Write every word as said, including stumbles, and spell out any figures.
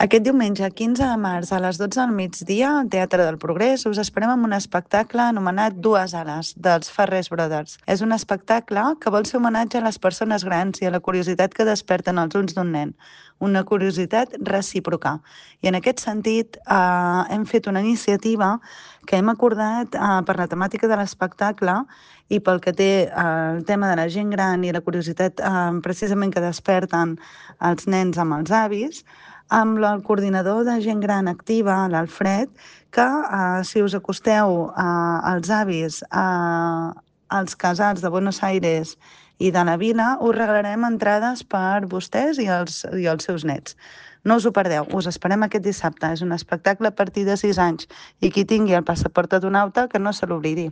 Aquest diumenge quinze de març a les dotze del migdia al Teatre del Progrés us esperem amb un espectacle anomenat Dues ales, dels Farrés Brothers. És un espectacle que vol ser homenatge a les persones grans i a la curiositat que desperten els ulls d'un nen, una curiositat recíproca. I en aquest sentit eh, hem fet una iniciativa que hem acordat eh, per la temàtica de l'espectacle i pel que té eh, el tema de la gent gran i la curiositat eh, precisament que desperten els nens amb els avis, amb el coordinador de gent gran activa, l'Alfred, que eh, si us acosteu eh, als avis eh, als casals de Buenos Aires i de la vila, us regalarem entrades per vostès i els, i els seus nets. No us ho perdeu, us esperem aquest dissabte. És un espectacle a partir de sis anys i qui tingui el passaport adonauta que no se l'oblidi.